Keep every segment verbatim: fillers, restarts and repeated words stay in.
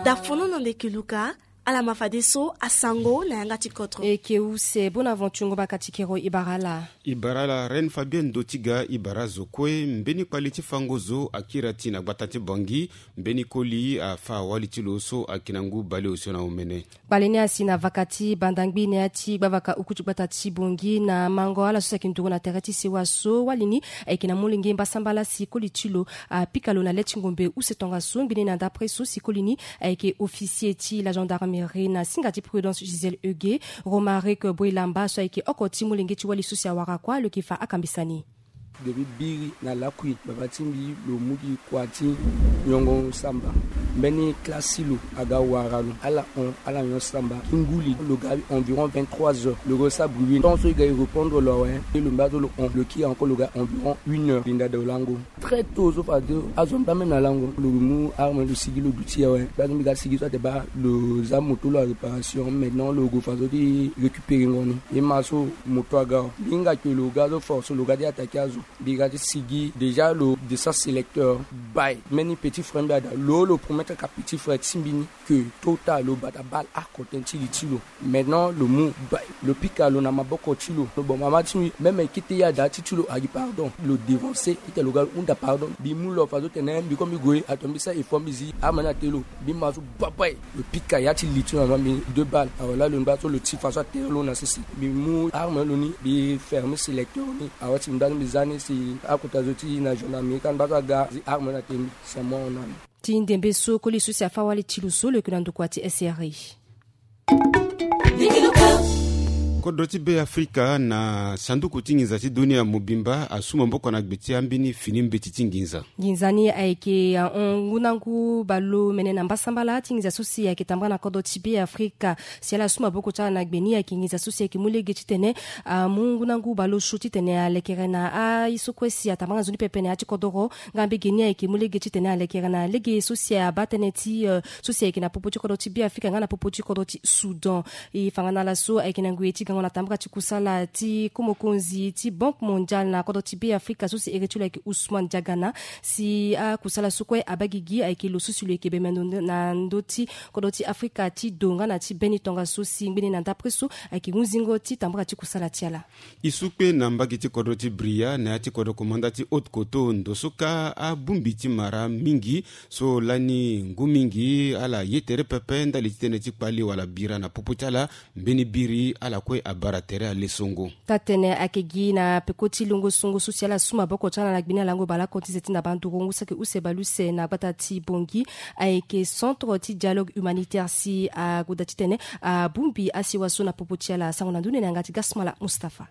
Dafono na ndeke luka. Ala ma fadeso asango na yanga ti kotro. Eke use bonaventure ngomba katikero ibara ala. Ibara ala reine fabienne dotiga ibara zo kue mbeni kpali ti fango zo akira ti na gbata ti bangi. Mbeni koli afa wali ti lo so ayeke na ngu baleosio na omene. Kpali ni asi na vaka ti bandangbi na ya ti gbavaka oku ti gbata ti bongi na mango ala so si ayeke nduru na tere ti sewa so wali ni ayeke na molenge mbasambala si koli ti lo apika lo na le ti ngombe use tongaso ngbene na dapre so si koli ni ayeke officier ti la gendarmerie na singa ti prudence gisèle euge. Romaric boilamba so ayeke oko ti molenge ti wali so si awara kua lo yeke fa akambisa ni. Ge bi biri na lakui baba ti mbi lo mu gi kua ti nyongo samba. Mbeni klasi lo aga wara lo ala hon ala nyon samba ki nguli lo ga environ vingt-trois heures lo go sa bruit ton so e ga e repondre lo awe. Lo mba so lo hon lo kiri encore lo ga environ une heure linda da olango. Très tôt so fade azo mba même na lango lo mu arme lo sigi lo duti awe. Baa so mbi ga sigi so ate baa lo za moto lo a réparation maintenant lo go fa so ti récupérer ngo ni. E ma so moto aga awe mbi hinga ke lo ga so force lo ga ti attaquer azo. Mbi ga ti sigi déjà lo descend sélecteur. Bai mbeni petit frère mbi ada lo lo promettre ka petit frère ti mbi ni ke tota lo bata bale oko tënë ti li ti lo. Maintenant lo mu bai lo pika lo na maboko ti lo lo boma mama ti mbi même kete ye ada ti ti lo agi pardon. Lo dévancer ita lo ga lo hunda pardon mbi mu lo fa so tene mbi ko mbi gue ato mbi sa effort mbi zi ama ni ate lo. Mbi ma so babai lo pika ya ti li ti lo na ma mbi deux balles awe laa lo ngba so lo ti fa so atere lo na sese. Mbi mu arme lo ni mbi fermer sélecteur ni awe ti mbi nda so mbi za ni si akota zo ti na gendarmerie kani mba so aga zi arme na te mbi. C'est mort na mbi. Ti ndembe so koli so si afa wali ti lo so lo yeke na ndokua ti sri. Kodro ti be afrika na sanduku ti nginza ti dunia mobimba asu maboko na gbe ti ambeni fini mbeti ti nginza. Nginza ni ayeke ahon ngu na ngu baleomene na mbasambala ti nginza so si ayeke tambara na kodro ti be afrika. Si ala su maboko ti ala na gbe ni ayeke nginza so si ayeke mu lege titene amu ngu na ngu baleosio titene alekere na aye so kue si atambara na nzoni pepe na ya ti kodoro. Nga mbege ni ayeke mu lege titene alekere na lege so si abaa tënë ti so si ayeke na popo ti kodro ti be afrika nga na popo ti kodro ti soudan. E fa nga na ala so ayeke na ngoi ti gango na tambara ti kusala ti komokonzi ti banque mondiale na kodro ti be afrika so si ere ti lo ayeke ousmane diagana. Si akusala so kue abaa gigi ayeke lo so si lo yeke bembe na ndö ti kodro ti afrika ti do nga na ti be ni tongaso si ngbene na ndapre so ayeke hunzingo ti tambara ti kusala ti ala. E su kpe na mbage ti kodro ti bria na ya ti kodro komanda ti haute koto ndo so kâ abongbi ti mara mingi so lani ngu mingi ala ye tere pepe ndali ti tënë ti kpali wala bira na popo ti ala. Mbeni biri ala kue abara tere alesongo. Taa-tene ayeke gi na peko ti longo songo so si ala su maboko ti ala na gbe ni alango baleoko ti ze ti na bandurongo saki use baleuse na gbata ti bongi. Ayeke centre ti dialogue humanitaire si agoda titene abongbi asewa so na popo ti ala asango na ndoni na yanga ti gasmala mustapha.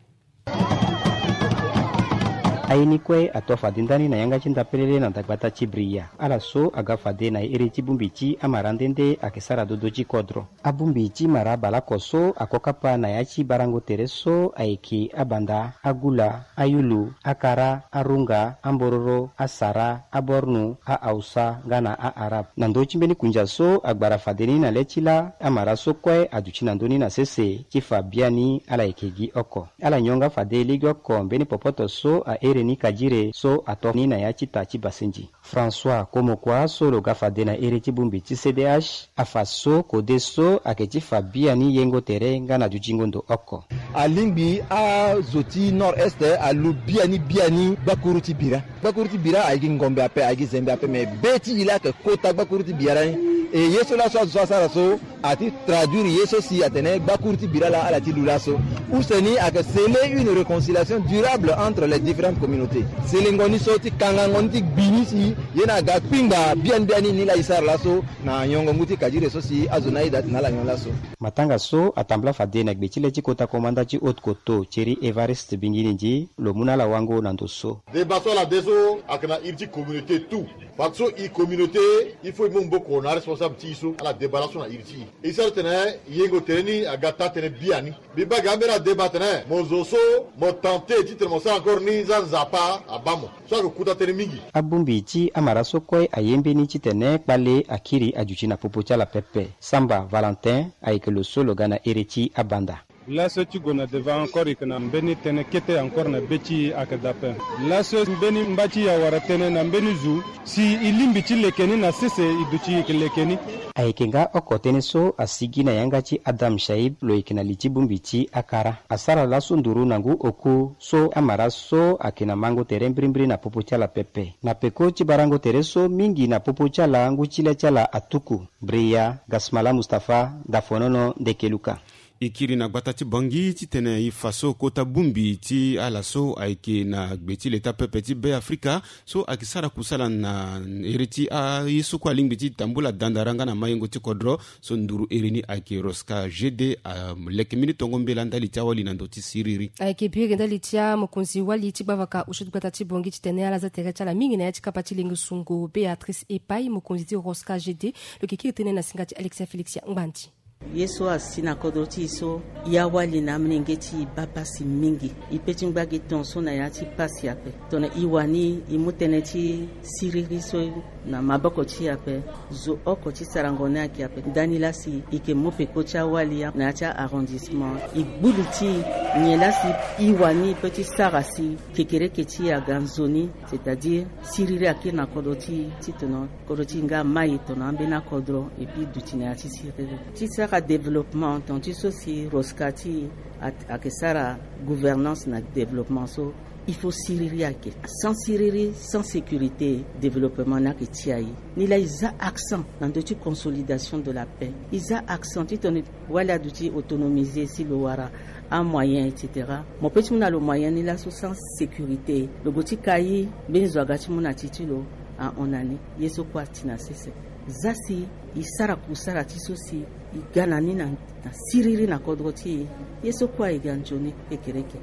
Aye ni kue ato fade ndani na yanga ti ndapelele na dagbata ti bria ala so aga fade na ere ti bongbi ti amara nde nde ayeke sara dodo ti kodro. Abongbi ti mara baleoko so ako kapa na ya ti barango tere so ayeke abanda, agula, ayulu, akara, arunga, ambororo, asara, abornu, ahausa nga na aarabe. Na ndö ti mbeni kundia so agbara fade ni na le ti laa amara so kue aduti na ndö ni na sese ti fa biani ala yeke gi oko. Ala nyonga fade lege oko mbeni popoto so ahere ni kadire so ato ni na ya ti ta ti basenji. François komokua so lo ga fade na ere ti bongbi ti cdh afa so kode so ayeke ti fa biani yengo tere nga na dutingo ndo oko. Alingbi azo ti nord est alu biani biani gbakuru ti bira. Gbakuru ti bira ayeke ngombe ape ayeke zembe ape me be ti e laa ayeke kota gbakuru ti bira ni. E ye so laso azo so asara so ati traduire ye so si atene gbakuru ti bira laa ala ti lu laso. Use ni ayeke sceller une réconciliation durable entre les différentes communautés. Selengo ni so ti kangango ni ti gbi ni si ye ni aga kpingba biani biani ni laa e sara laso na nyongo ngu ti kadire so si azo ni aye daa ti na ala nyon laso. Matanga so atambula fade na gbe ti le ti kota komanda ti haute koto thierry evariste bingi ni ndi lo mu na ala wango na ndo so. Deba so ala de so ayeke na iri ti communauté tout. Parce que so e communauté il faut e mu maboko na aresponsable ti e so ala deba laso na iri ti e. E sara tene yengo tere ni aga taa tënë biani. Mbi baa ge ambeni adeba atene mo zo so mo tente titene mo sara encore ni za nzapa abaa mo. So ayeke kota tënë mingi. Abongbi ti amara so kue aye mbeni titene kpale akiri aduti na popo ti ala pepe. Samba valentin ayeke lo so lo ga na ere ti abanda. Laso ti gue na devant encore, e yeke na mbeni tënë kete encore na be ti e ayeke daa ape. Laso mbeni mba ti e awara tënë na mbeni zo, si e lingbi ti leke ni na sese, e duti e yeke leke ni. Ayeke nga oko tënë so asigi na yanga ti Adam Shaib, lo yeke na li ti bongbi ti akara. Asara laso nduru na ngu oku so amara so ayeke na mango tere mbirimbiri na popo ti ala pepe. Na peko ti barango tere so mingi na popo ti ala, ngu ti le ti ala atuku. Bria Gasmala Mustapha, Dafonono, Ndekeluka. E kiri na gbata ti Bangui titene e fa so kota bongbi ti ala so ayeke na gbe ti leta pepe ti Be Afrika, so ayeke sara kusala na iri ti aye so kue alingbi ti tambula dandara nga na mayengo ti kodro. So nduru iri ni ayeke Rosca G D, aleke mbeni tongo mbela ndali ti awali na ndö ti siriri. Ayeke biri ndali ti amokonzi wali ti gbavaka osio ti gbata ti Bangui titene ala za tere ti ala mingi na ya ti kapa ti lengo sungo Béatrice Epai, mokonzi ti Rosca G D. Lo yeke kiri tënë na singa ti Alexia Félixia Ngbandi. Ye so asi na kodro ti e so, e awali na amolenge ti e baa pasi mingi. E pe ti ngba gi ton so na ya ti pasi ape. Tongana e wani e mu tënë ti siriri so na maboko ti e ape, zo oko ti sarango ni ayeke ape. Ndani laa si e yeke mu peko ti awali na ya ti a-arrondissement, e gbu li ti e nyen laa si e wani e pe ti sara si kekereke ti e aga nzoni, c'est-à-dire siriri akiri na kodro ti e, titene kodro ti e nga amai tongana ambeni akodro, et puis duti na ya ti siriri ti sara développement. Tongana ti so si Rosca ti e ayeke sara gouvernance na développement so, il faut siriri ayeke. Sans siriri, sans sécurité, développement ni ayeke ti aye. Ni laa e za accent na ndö ti consolidation de la paix. E za accent titene wali aduti autonomisé si lo wara amoyen, et cetera. Mo pe ti mu na lo moyen ni laso sans sécurité, lo gue ti kai mbeni zo aga ti mu na ti ti lo ahon na ni. Ye so kue ati na sese. Za si e sara kusala ti so si e ga na ni na, na siriri na kodro ti e. Ye so kue aye ga nzoni kekereke.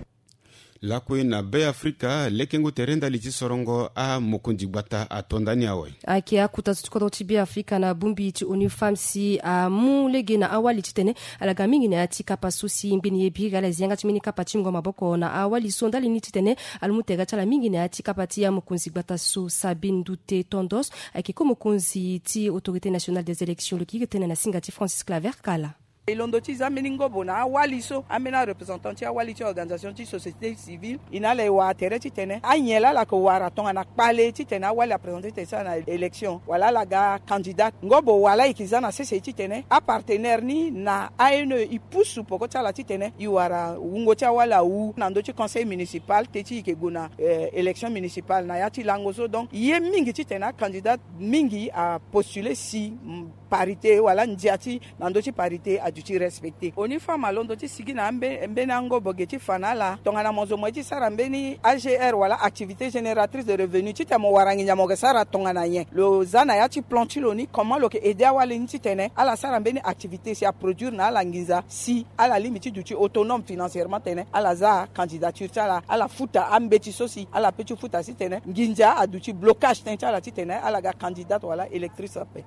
Lakue na Be Afrika, lekengo tere ndali ti sorongo amokonzi gbata ato ndani awe. Ayeke akota so ti kodro ti Be Afrika na bongbi ti ONU Femmes si amu lege na awali titene ala ga mingi na ya ti kapa so si ngbeni ye biri ala zi yanga ti mbeni kapa ti mungo maboko na awali so ndali ni titene ala mu tere ti ala mingi na ya ti kapa ti amokonzi gbata so Sabine Ndoute Tondos. Ayeke ko mokonzi ti Autorité Nationale des Élections, lo yeke iri tënë na singa ti Francis Claver Kala. E londo ti za mbeni ngobo na awali so ambeni areprésentant ti awali ti organisation ti société civile, e na ala e wara tere titene anyen laa ala yeke wara tongana kpale titene awali aprésente tene ti ala na élection wala ala ga candidat. Ngobo wala e yeke za na sese titene apartenaire ni na A N E e pusu peko ti ala titene e wara wungo ti awali awu na ndö ti conseil municipal te ti e yeke gue na, eh, élection municipale na ya ti lango so. Donc ye mingi titene acandidat mingi apostule si, mm, parité wala ndia ti na ndö ti parité aduti respecté. ONU Femmes alondo ti sigi na ambe-, mbeni angobo ge ti fa na ala tongana mo zo mo ye ti sara mbeni A G R wala activité génératrice de revenu titene mo wara nginza mo yeke sara tongana nyen. Lo za na ya ti plan ti lo ni comment lo yeke aidé awali ni titene ala sara mbeni activité si aproduire na ala nginza si ala lingbi ti duti autonome financièrement titene ala za candidature ti ala, ala futa ambeti so si ala pe ti futa si titene nginza aduti blocage tënë ti ala titene ala ga candidate wala électrice ape.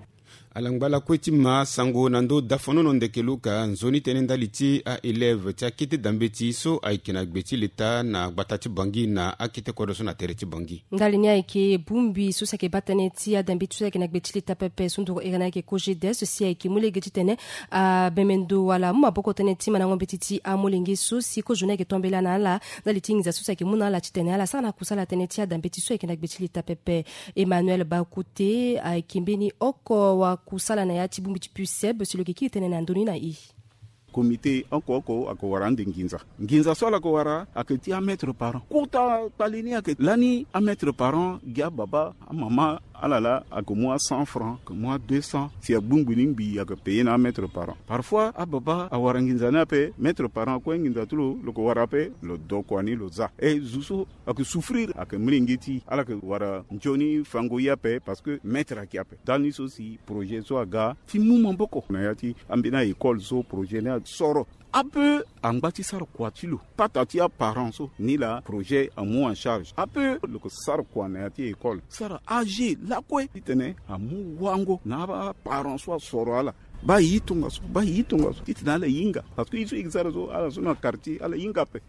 Ala ngba lakue ti ma sango na ndö dafonono ndeke luka nzoni tënë ndali ti aélève ti akete dambeti so ayeke na gbe ti leta na gbata ti Bangui na akete kodro so na tere ti Bangui. Ndali ni ayeke bongbi so si ayeke baa tënë ti adambeti so ayeke na gbe ti leta pepe so nduru ere ni ayeke COGEDES si ayeke mu lege titene abemendo wala amu maboko tënë ti mandango mbeti ti amolenge so si kozo ni ayeke tombela na ala ndali ti nginza so si ayeke mu na ala titene ala sara na kusala tënë ti adambeti so ayeke na gbe ti leta pepe. Emmanuel Bakute ayeke mbeni oko wakusala na ya ti bongbi ti PUCEB si lo yeke kiri tënë na ndoni na e. Comité oko oko ayeke wara ande nginza. Nginza so ala yeke wara ayeke ti un mètre par an. Kota kpale ni ayeke lani un mètre par an gi ababa, amama, ala laa ayeke mu a cent francs, ayeke mu a deux cents. Si agbongbi ni ngbii ayeke payer na un mètre par an. Parfois ababa awara nginza ni ape, mètre par an kue nginza ti lo lo yeke wara ape, lo dokua ni lo za. E zo so ayeke souffrir ayeke molenge ti e, ala yeke wara nzoni fango ye ape parce que mètre ayeke ape. Ndani so si projet so aga ti mu maboko na ya ti ambeni a-école so projet ni asoro. Ape angba ti sara kua ti lo, pata ti aparent so ni laa projet amu en charge. Ape lo yeke sara kua na ya ti école, sara age lakue titene amu wango na aparent so asoro ala. Baa e tongaso, baa e tongaso titene ala hinga parce que ye so e yeke sara so ala so na quartier ala hinga ape.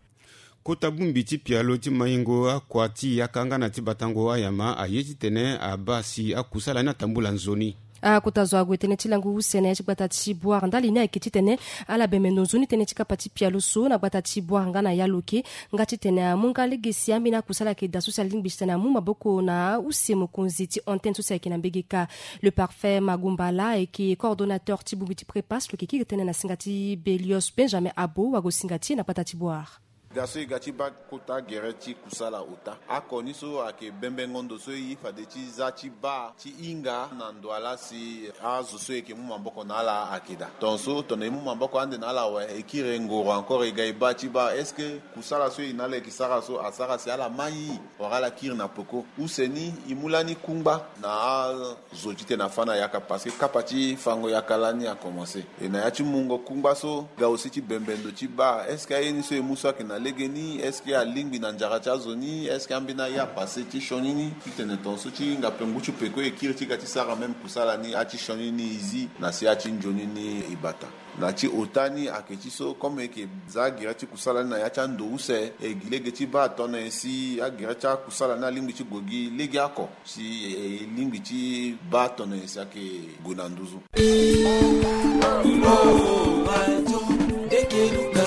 Kota bongbi ti pialo ti maingo akua ti yaka nga na ti batango ayama aye titene abaa si akusala ni atambula nzoni. Akota zo ague tënë ti langu use na ya ti gbata ti Bouar ndali ni ayeke titene ala bembe ndo nzoni tënë ti kapa ti pialo so na gbata ti Bouar nga na ya lo ke. Nga titene amu nga lege si ambeni akusala ayeke daa so si alingbi titene amu maboko na use mokonzi ti antenne so si ayeke na mbege kâ. Le parfait Magumbala ayeke coordonnateur ti bongbi ti prépasse lo yeke kiri tënë na singa ti Belios Benjamin Abo wago singa ti e na gbata ti Bouar. Ga so e ga ti baa kota gere ti kusala ota, ako ni so ayeke bembengo ndo so e ye fade ti za ti baa ti hinga na ndo ala si azo so e yeke mu maboko na ala ayeke daa. Tongaso tongana e mu maboko ande na ala awe, e kiri ngoro encore e ga e baa ti baa est-ce que kusala so e na ala e yeke sara so asara si ala mai wala ala kiri na peko. Use ni e mu lani kungba na azo titene afa na yaka parce que kapa ti fango yaka lani akomanse. E na ya ti mungo kungba so ga aussi ti bembe ndo ti baa est-ce que aye ni so e mu so ayeke na legeni, est-ce que alingbi na nzara ti azo ni, est-ce que ambeni aye apasse ti sioni ni titene tongaso ti hinga pe ngu ti peko e kiri ti ga ti sara même kusala ni ati sioni ni e zi na si ati nzoni ni e bata. Na ti ota ni ayeke ti so comme e yeke za agere ti kusala ni na ya ti ando use, e gi lege ti baa tongana nyen si agere ti akusala ni alingbi ti gue gi legeoko si e lingbi ti baa tongana nyen si ayeke gue na nduzu.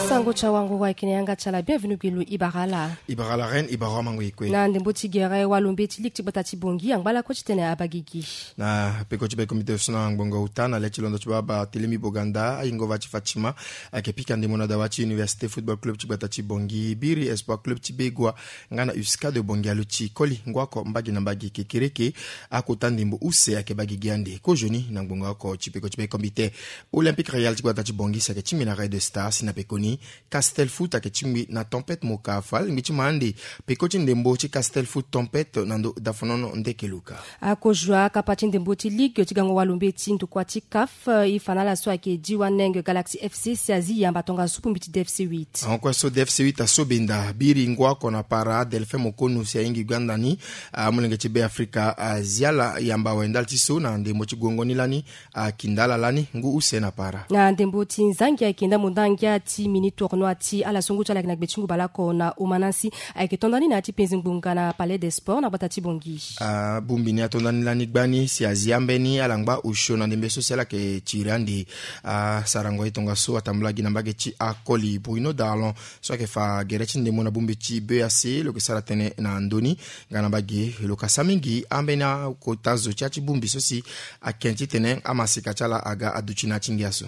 Sango ti awanguru ayeke na yanga ti ala, bienvenu gi lo. E bara ala. E bara ala reine, e bara amango e kue. Na ndembo ti gere walombe ti ligue ti gbata ti Bangui angba lakue titene abaa gigi. Na peko ti be comité so na ngbonga ota na le ti londo ti baba Telemi Boganda, ayingo va ti Fatima, ayeke pika ndembo na dawa ti Université Football Club ti gbata ti Bangui, Biri Espoir Club ti Begoua, nga na USCA de Bangui aluti koli ngu oko mbage na mbage kekereke. Akota ndembo use ayeke baa gigi ande kozoni na ngbonga oko ti peko ti be comité. Olympique Royal ti gbata ti Bangui si ayeke tingbi na Red Star si na pekoni Castel Foot ayeke tingbi na Tempête Moka. Fo alingbi ti ma ande peko ti ndembo ti Castel Foot Tempête na ndo dafonono ndeke luka. Akozua kapa ti ndembo ti ligue ti gango walombe ti ndokua ti CAF, e fa na ala so ayeke Diwaneng Galaxy FC si azi yamba tongaso bongbi ti D F C huit. Ahon kue so D F C huit aso benda biri ngu oko na para Delphin Mokonu si ahingi gbanda ni amolenge ti Be Afrika azi ala yamba awe ndali ti so na ndembo ti guengo ni lani. Akinda ala lani ngu use na para. Na ndembo ti nzangi ayeke ndambo ndangia ti mini tournoi ti ala so ngu ti ala ayeke na gbe ti ngu baleoko na Omanansi ayeke to nda ni na ya ti penze ngbonga na Palais des Sports na gbata ti Bangui. Abongbi ni ato nda ni lani gbani si azi ambeni ala ngba osio na ndembe so si ala yeke tiri ande. Asarango ye tongaso atambula gi na mbage ti akoli Bruno Darlon so ayeke fa gere ti ndembo na bongbi ti B A C lo yeke sara tënë na ndö ni. Nga na mbage lo ka sara mingi ambeni akota zo ti ya ti bongbi so si ake titene amaseka ti ala aga aduti na ya ti ngia so.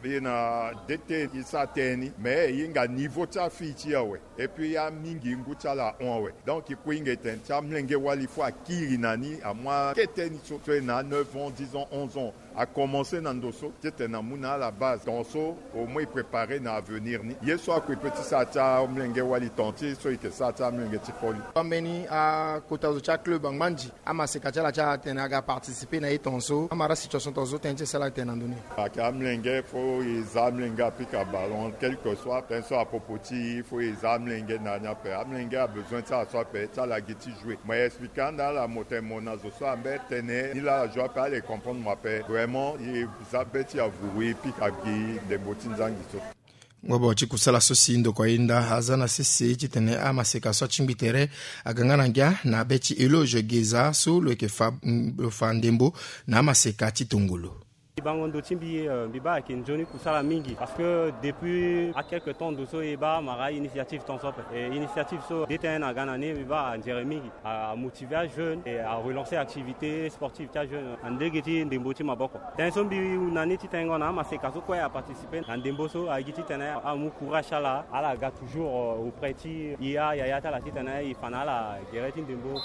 E na D T e sara tënë ni mais e hinga niveau ti afille ti e awe. Et puis amingi ngu ti ala ahon awe. Donc e kue e hinga e tene ti amolenge wali fo akiri na ni amu akete ni so so e na neuf ans, dix ans, onze ans. Akomanse na ndo so titene amu na ala base tongaso au moins e prépare na avenir ni. Ye so akue pe ti sara ti amolenge wali tonga ti so e yeke sara ti amolenge ti koli. Ambeni akota zo ti aclub angba nzi amaseka ti ala ti atene aga participer na ye tongaso amara situation tongaso tënë ti e sara ala tene na ndö ni. Ayeke amolenge fo e za amolenge apika ballon quelque soit tënë so apopo ti e fo e za amolenge na ni ape amolenge abesoin ti ala so ape ti ala gi ti jouer mais expliquer ande ala mo tene mo na zo so ambeni tene ni laa ala joue ape ala e comprendre mo ape vraiment e za be ti avuru e pika gi ndembo ti nzangi so. Ngobo ti kusala so si ndoko ayenda aza na sese titene amaseka so atingbi tere aga nga na ngia na be ti Eloge Geza so lo yeke fa lo fa ndembo na amaseka ti tongolo. Mbi bango ndo ti mbi, eh, mbi baa ayeke nzoni kusala mingi parce que depuis a quelque temps ndo so e baa mara initiative tonso ape. E initiative so D T N aga na ni mbi baa anzere mingi. A, a motiver ajeune et a relancer activité sportive ti ajeune na ndege ti ndembo ti maboko. Tënë so mbi na ni ti tengo na amaseka so kue a participer na ndembo so a gi titene amu courage ti ala ala ga toujours, euh, auprès ti e ayaya ti ala titene e fa na ala gere ti ndembo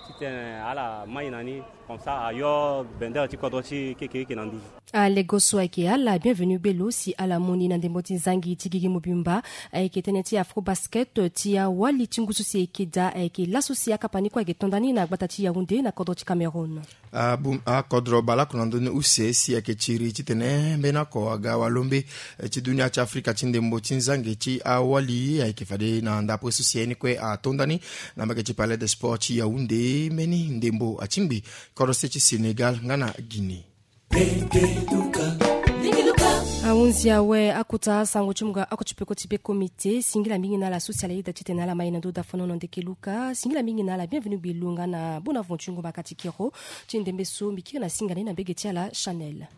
titene ala mai na ni. Comme ça ayo bendere ti kodro ti kekereke na nduzu. Alego so ayeke ala bienvenu gbelo si ala mu ni na ndembo ti nzangi ti gigi mobimba. Ayeke tënë ti Afrobasket ti awali ti ngu so si e yeke daa ayeke laso si akapa ni kue ayeke to nda ni na gbata ti Yaoundé na kodro ti Cameroun. Abu akodro baleoko na ndö ni use si ayeke tiri titene mbeni oko aga walombe ti dunia ti Afrika ti ndembo ti nzangi ti awali ayeke fade na ndapre so si aye ni kue ato nda ni na mbage ti Palais des Sports ti Yaoundé. Mbeni ndembo atingbi kodro se ti Sénégal nga na Guinée. Ndenge luka. Ndenge luka. Ahunzi awe akota sango ti mungo oko ti peko ti be komite. Singila mingi na ala so si ala yeda ti tene ala ma ye na ndo dafanono ndeke luka. Singila mingi na ala bienvenu gbi lunga na bona vontu ngomba kati kero ti ndembe so mbi kiri na singa ni na mbege ti ala chanel.